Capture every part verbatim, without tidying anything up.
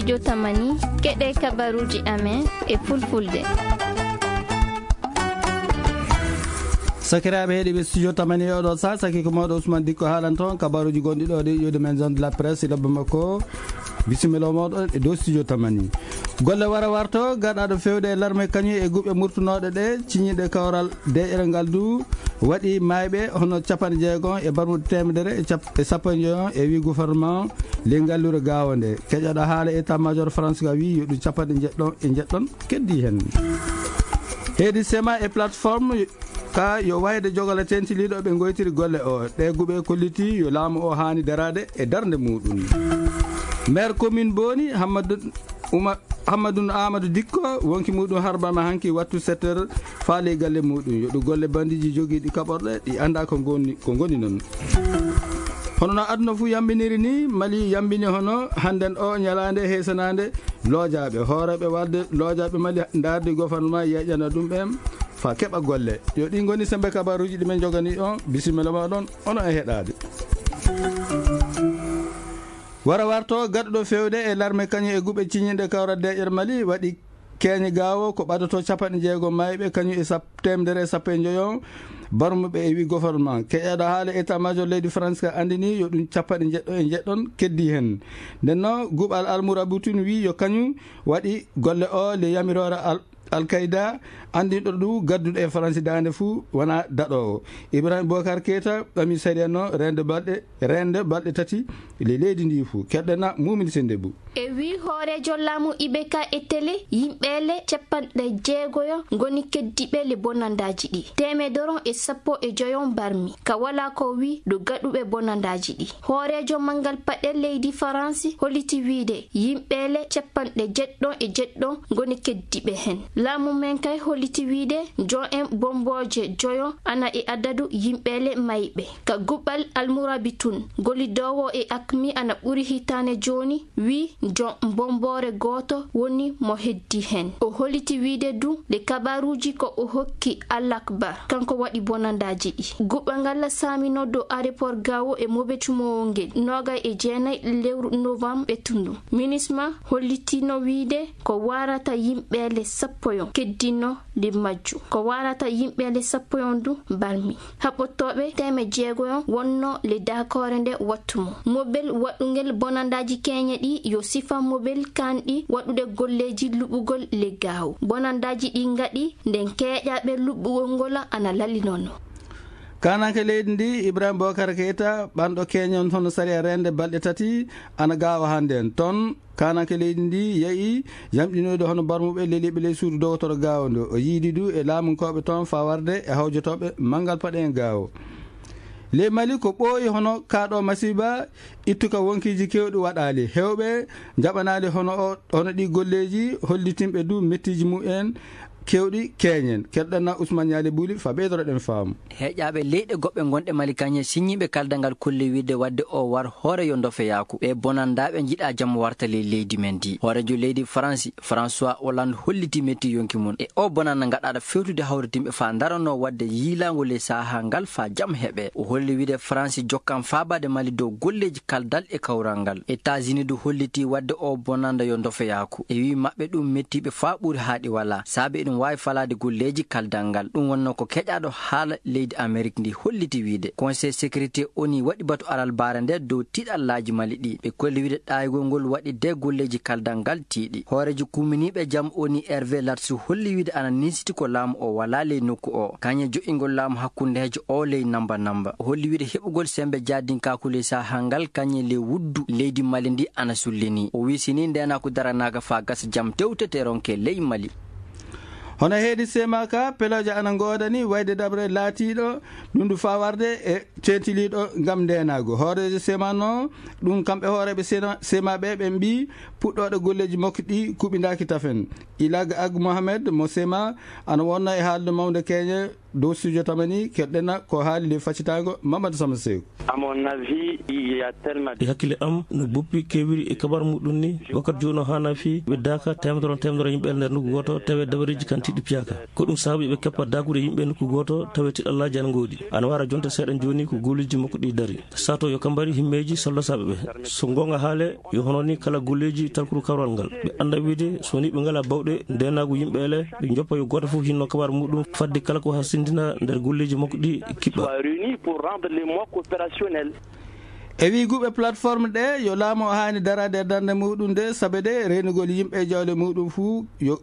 Jotamani, keɗe kabaruji amen e fulfulde. Sakiraaɓe heɗiiɓe studio Tamani e oɗo sa, saki ko mawɗo Ousmane Dikko haalan toon kabaruji gonɗi ɗo ɗi, iwde men zone de la presse e lobba makko. Bisimilla o mawɗo e dow studio Tamani. Golle wara warto, gaɗaɗo fewde e larme kañum e guɓe murtunooɗe ɗe, ciñiiɗe kawral deeƴere ngal du, waɗi maayɓe hono capanɗe jeegom e barmuɗe teemedere e cap-, e sappo e joyo e wi gouvernement le ngallure gaawo nde. Keƴoɗo haala état major France ka wi yo ɗum capanɗe jeɗɗo e jeɗɗon keddi hen. Heedi sema e plateforme ka yo wayde jogala tentiliɗo ɓe goytiri golle o. Ɗe guɓe kolliti yo laamu o haani darade e darnde muɗum. Maire commune Booni, Hammadou Oumar, Hammadou Amadou Dikko, wonki muɗum harbama hanki wattu sept heures faale galle muɗum. Yo ɗum golle bandiji jogiiɗi kaɓorɗe ɗi annda ko ngoni, ko ngoni noon. Hono no aduna fuu yambiniri ni, Mali yambini hono hannden o ñalaande heesanande loojaɓe, hooreɓe walde loojaɓe Mali ndardi gouvernement yeƴana ɗum ɓen fa keɓa golle. Yo ɗi ngoni sembe kabaruji ɗi men jogani on. Bisimilla ma ɗon, ono e heɗade. Wara warto gaɗuɗo fewde e larme kañum e guɓe ciñinɗe kawral deƴƴere Mali waɗi keeñe gaawo ko ɓadoto capanɗe jeegom mayɓe kañum e sap-, teemedere e sappo e joyo barmuɓe e wi gouvernement. Keƴaɗo haala état major leydi France ka andini yo ɗum capanɗe jeɗɗo e jeɗɗon keddi hen. Nden no guɓal almurabitun wi yo kañum waɗi golle o le yamirore al-, Al-Qaeda, anndinɗo ɗum gadduɗo e Faransi daande fuu wona daɗoowo. Ibrahim Bokar Keita ɓami sariya no reende balɗe, reende balɗe tati le leydi ndi fuu. Keɗɗena Mumin Sendebu. E wi hooreejo laamu Ibeka e télé, yimɓeele capanɗe jeegoyo ngoni keddiɓe le bonandaaji ɗi. Teemedere e sappo e joyo barmi. Ka wala ko wi ɗo gaɗuɓe bonandaaji ɗi. Hooreejo manngal paɗe leydi Faransi holliti wiide yimɓeele capanɗe jeɗɗo e jeɗɗo ngoni keddiɓe hen. Laamu men kay holliti wiide jo'en bombooje joyo ana e adadu yimɓeele mayɓe. Ka guɓal almurabi tun, gollidoowo e akmi ana ɓuri hitaane jooni, wi jo bomboore gooto woni mo heddi hen. O holliti wiide du le kabaruuji ko o hokki Al Akbar, kanko waɗi bonandaaji ɗi. Guɓal ngal saamino dow aéroport Gao e Mobe cumowo ngel, noogay e jeenay lewru novembre ɓettundu. Minisma hollitino wiide ko warata yimɓeele sappo yon keddino le majju. Ko warata yimɓeele sappo yon du barmi. Haɓɓotooɓe teeme jeego yon wonno le dakoore nde wattu mo. Mobel waɗungel bonandaaji keeñe ɗi yo sifa mobel kanɗi waɗude golleeji luɓugol le Gao. Bonandaaji ɗi ngaɗi nden keeƴaaɓe luɓɓugol ngol ana lallinono. Kananke leydi ndi, Ibrahim Bokar Keita, ɓanɗo keñon hono sariya rende balɗe tati, ana gaawa hannde en. Toon, kananke leydi ndi yehi yamɗinoyde hono barmuɓe leliɓe ley suudu dogotoro gaawo ndo. O yiidi du e laamunkooɓe toon faa warde e hawjotooɓe manngal paɗe en gaawo. Ley Mali ko ɓooyi hono kaaɗo masiiba, ittuka wonkiiji keewɗi waɗaali. Heewɓe njaɓanaali hono o, hono ɗi golleeji hollitinɓe du mettiiji mumen keewɗi keeñen. Keɗɗana Ousmane Ñaali Buli faa ɓeydoroɗen faamu. Heƴaaɓe leyɗe goɗɗe gonɗe Mali kañe siññiiɓe kaldal ngal kolli wiide wadde o war hoore yo ndofeyaaku. Ɓe bonandaaɓe njiɗa jam warta ley leydi men ndi. Hooreejo leydi Faransi, François Hollande holliti metti yonki mum. E o bonanda gaɗaɗo fewtude hawritinɓe faa ndaranoo wadde yiilaango ley sahaa ngal faa jam heɓe. O holli wiide Faransi jokkan faabaade Mali dow golleeji kaldal e kawral ngal. États-Unis du holliti wadde o bonanda yo ndofeyaaku. E wii maɓɓe ɗum mettiiɓe faa ɓuri haaɗi walaa. Saabe eɗum waawi falaade golleeji kaldal ngal. Ɗum wonnoo ko keƴaaɗo haala leydi Amerik ndi holliti wiide Conseil sécurité O N U waɗi batu alalbaare nde dow tiiɗallaaji Mali ɗi. Ɓe kolli wiide ɗaayigol ngol waɗi de golleeji kaldal ngal tiiɗi. Hooreejo kuuminiiɓe jam O N U Hervé Latsou holli wiide ana niisiti ko laamu o walaa ley nokku o. Kañe joƴƴingol laamu hakkundeejo o ley namba namba. O holli wiide heɓugol sembe jaadinkaaku ley sahaa ngal kañe ley wuddu leydi Mali ndi ana sullinii. O wii si nii ndeenaaku daranaaka faa gasa jam tewtete ronke ley Mali. Hono heedi sema ka, pelooje ana ngoodani wayde dabre laatiiɗo ɗum du faa warde e ceentiliiɗo ngam ndeenaagu. Hooreejo sema no ɗum kamɓe hooreeɓe sena-, sema ɓe ɓe mbii puɗɗooɗo golleeji makko ɗi kuɓindaaki tafen. Ilag Ag Mohamed mo sema ana wonna e haalde mawnde keeñe Dow studio tamani, keɗɗena ko haali ley facitaango Mamadou Sama Seeku. À mon avis, il y a tellement E hakkille am, no boppi keewiri e kabar muɗum ni, wakkati jooni o haana fii ɓe daaka teemedere on teemedere yimɓe e nder nokku gooto, tawi dabareeji kan tiɗɗi piyaaka. Ko ɗum saabi ɓe keppa daakude yimɓe nokku gooto, tawi tiɗallaaji ana ngoodi. Ana wara jonte seeɗa jooni ko golleeji makko ɗi dari. Sato yo kambari himmeeji soldasaaɓe ɓe. So goonga haale, yo hono ni kala golleeji talkuru kawral ngal. Ɓe annda wiide, so ni ɓe ngala bawɗe ndeenaagu yimɓe ele, ɓe joppa yo gooto fof hinno kabar muɗum, fadde kala ko hasindina nder golleeji makko ɗi kiɓɓa. Soit réunis pour rendre les mosques opérationnels. E wiiguɓe plateforme ɗe, yo laamu o haani daraade e darnde muɗum nde, sabe de reenugol yimɓe e jawle muɗum fuu, yo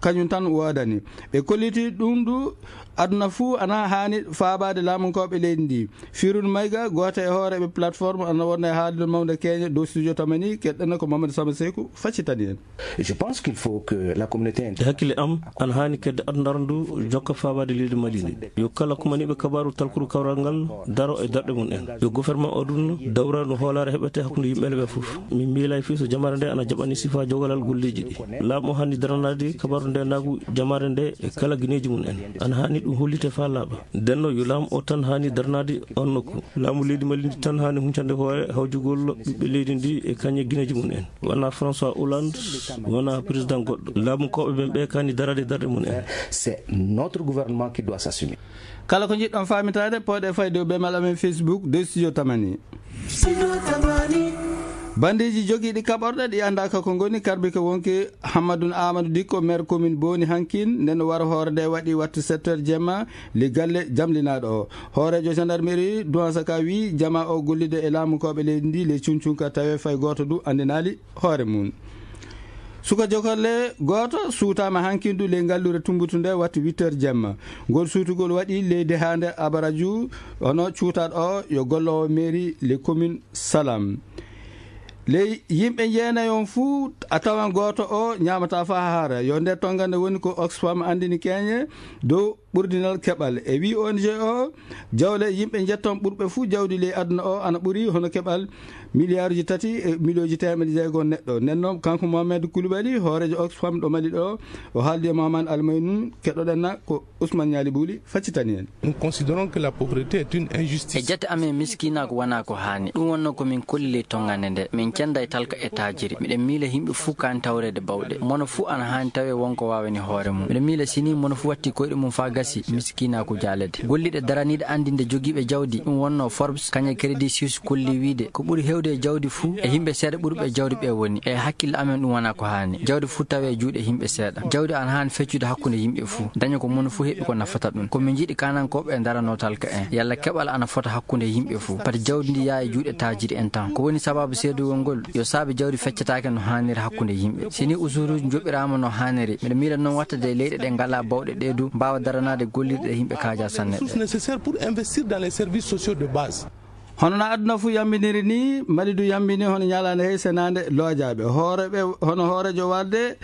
kañum tan woodani. Ɓe kolliti ɗum du, aduna fuu ana haani faabaade laamunkooɓe leydi ndi. Firun Mayga, gooto e hooreeɓe plateforme, ana wonno e haaldude mawnde keeñe dow studio tamani, keɗɗen ko Mamadou Sama Seeku, faccitani en. Je pense qu'il faut que la communauté E hakkille am, ana haani kedde aduna ndu jokka faabaade leydi Mali ndi. Yo kala kumaniiɓe kabaaru talkuru kawral ngal daro e darɗe mum en. Yo gouvernement o ɗum dawra no hoolaare heɓete hakkunde yimɓe ɓe fof. Min miilay fii so jamaare nde ana jaɓani sifa jogalal golleeji ɗi. Laamu o haani daranaade kabaaru ndeenaagu jamaare nde e kala gineeji mum en. Ana haani ɗum hollite faa laaɓa. Ndenno yo laamu o tan haani daranaade on nokku. Laamu leydi Mali ndi tan haani huncande hoore hawjugol ɓiɓɓe leydi ndi e kañe gineeji mum en. Wona François Hollande, wona président goɗɗo. Laamunkooɓe ɓen ɓe kaani daraade darɗe mum en. C'est notre gouvernement qui doit s'assumer. Kala ko njiɗɗon faamitaade, pooɗe fayde e ɓeemal amen Facebook, de studio tamani. Studio tamani. Bandeeji jogiiɗi kaɓorɗe ɗi anndaaka ko ngoni, karbike wonki Hammadun Amadou Dikko, maire commune Booni hankin, nden o wara hoore nde waɗi wattu sept heures jemma, li galle jamlinaaɗo o. Hooreejo gendarmerie Duwansaka wii jama o gollide e laamunkooɓe leydi ndi, ley cuncunka tawe fay gooto du anndinaali hoore mum. Suka jokolle gooto suutaama hankindu ley ngalluure Tumbutu nde watti huit heures jemma. Ngol suutugol waɗi leydi haande Abaraju, hono cuutaaɗo o yo golloowo mairie ley commune Salam. Ley yimɓe jeenayi on fuu, a tawan gooto o ñaamataa faa haara. Yo nde tongande woni ko Oxfam anndini keeñe dow ɓurdinal keɓal. E wii O N G o, jawle yimɓe njetton ɓurɓe fuu jawdi ley aduna o ana ɓuri hono keɓal miliyaaruji tati e miliyooji teemeɗe jeego neɗɗo. Nden noon, kanko Mohamed Koulibaly, hooreejo Oxfam ɗo Mali ɗo, o haaldi e Mohamed Almaynun, keɗoɗen na ko Ousmane Ñaali Buuli faccitani en. Nous considérons que la pauvreté est une injustice. E jate amen, miskiinaagu wonaa ko haani. Ɗum wonnoo ko min kolli ley tonngande nde. Min cennda e talka e taajiri. Miɗen miila yimɓe fuu kaani tawreede bawɗe. Mono fuu ana haani tawee won ko waawani hoore mum. Miɗen miila si nii mono fuu watti koyɗe mum faa gasi, miskiinaagu jaalete. Golliiɗe daraniiɗe anndinde jogiiɓe jawdi, ɗum wonnoo Forbes, kañum e Credit Suisse kolli wiide, ko ɓuri heewde e jawdi fuu, e yimɓe seeɗa ɓurɓe e jawdi ɓe woni. E hakkille amen ɗum wonaa ko haani. Jawdi fuu tawee e juuɗe yimɓe seeɗa. Jawdi ana haani feccude hakkunde yimɓe fuu. Daña ko mono fuu heɓi ko nafata ɗum. Ko min njiɗi kaanankooɓe e daranoo talka en. Yalla keɓal ana fota hakkunde yimɓe fuu. Pati jawdi ndi yaa e juuɗe taajiri en tan. Ko woni sababu seedugol ngol? Yo saabe jawdi feccataake no haaniri hakkunde yimɓe. Si nii usuruuji njoɓiraama no haaniri, miɗo miila noon watta de leyɗe ɗe ngalaa bawɗe ɗe du mbaawa daranaade gollirɗe ɗe yimɓe kaajaa sanne ɗe. Ressources nécessaires pour investir dans les services sociaux de base. Hono no aduna fuu yambiniri ni, Mali du yambini hono ñalaande hey senaande loojaaɓe. Hooreeɓe, hono hooreejo walde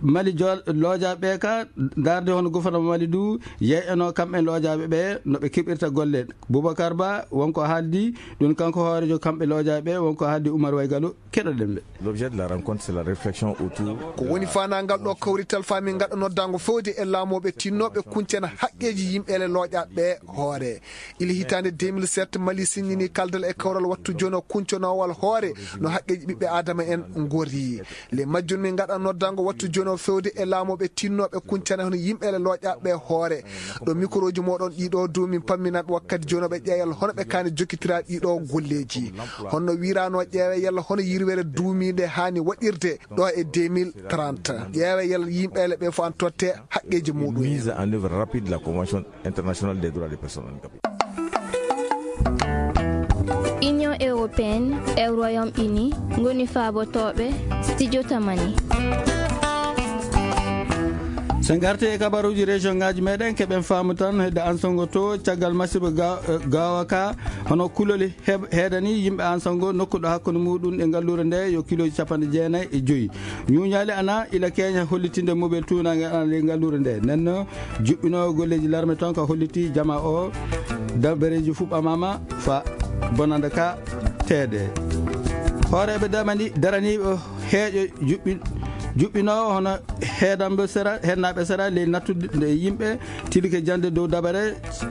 Mali jo-, loojaaɓe ka, darde hono gouvernement Mali du, yeeyano kamɓe loojaaɓe ɓe, no ɓe keɓirta golle. Boubacar Ba, wonko haaldi, ɗum kanko hooreejo kamɓe loojaaɓe, wonko haaldi Oumar Waygalo, keɗoɗen ɓe. L'objet de la rencontre, c'est la réflexion autour Ko woni faandaangal ɗo kawrital faa min ngaɗa noddaango fewde e laamooɓe tinnooɓe kuncana haqqeeji yimɓe ele looƴaaɓe hoore. Ile hitaande deux mille sept, Mali signini kaldal e kawral wattu jono kuncanoowal hoore no haqqeeji ɓiɓɓe aadama en ngorri. Le majjum min ngaɗa noddaango wattu jono fewde e laamooɓe tinnooɓe kuncana hono yimɓe ele looƴaaɓe hoore. Ɗo mikrooji mooɗon ɗiɗo du min pamminat wakkati jono ɓe ƴeeyal hono ɓe kaani jokkitiraaɗi ɗiɗo golleeji. Honno wiiraano ƴeewe yalla hono yirwere duumiinde haani waɗirde ɗo e deux mille trente. Ƴeewe yalla yimɓe ele ɓe fof an totte haqqeeji muɗum en. Mise en œuvre rapide de la Convention internationale des droits des personnes handicapées. Union européenne e Royaume-Uni ngoni faabotooɓe studio tamani. So ngarti e kabaruuji région ngaji meɗen, keɓen faamu tan hedde Ansango to caggal masibo ga-, eh, gawa ka, hono kuloli heb-, heedani yimɓe Ansango nokkuɗo hakkunde muɗum e ngalluure nde yo kiloji capanɗe jeenayi e joyi. Ñuuñaali ana ila keeña hollitinde mobel tuunaange ana ley ngalluure nde. Nden no juɓɓinoowo golleeji larme toon ka holliti jama o dabareeji fuɓɓamaama fa bonanda ka teede. Hooreeɓe damani daraniiɓe heeƴo juɓɓin juɓɓinoowo hono heedamɓe sera, heednaaɓe sera ley nattude yimɓe tilike jannde dow dabare,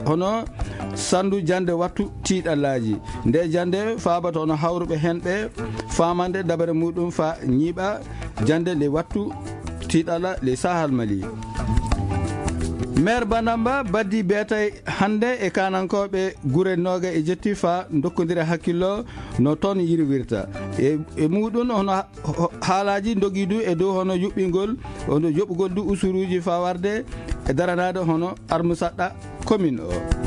hono sanndu jannde wattu tiiɗallaaji. Nde jannde faabata hono hawruɓe heen ɓe faamande dabare muɗum fa ñiiɓa jannde ley wattu tiiɗalla ley Sahal Mali. Maire Banamba baddi beetay hannde e kaanankooɓe gure nooga e jetti fa ndokkondira hakkillo no toon yirwirta. E, e muɗum hono ha-, ho-, haalaaji ndogi du e dow hono yuɓɓingol, hono yoɓugol du usuruuji fa warde e daranaade hono armusaɗɗa commune o.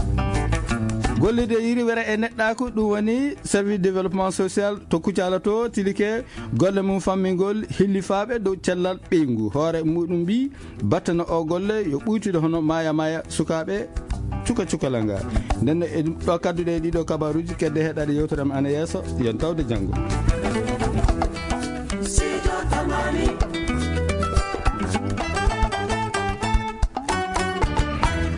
Gollirde yirwere e neɗɗaaku, ɗum woni service développement social to Kucala to, tilike golle mum fammingol hillifaaɓe dow cellal ɓeyngu. Hoore muɗum mbi battana o golle yo ɓuytude hono maya maya sukaaɓe cuka cukalanga. Nden no e ɗo kadduɗe e ɗiɗo kabaruuji kedde heɗaɗe yewtere am ana yeeso, yon tawde janngo. Sijo Tamani.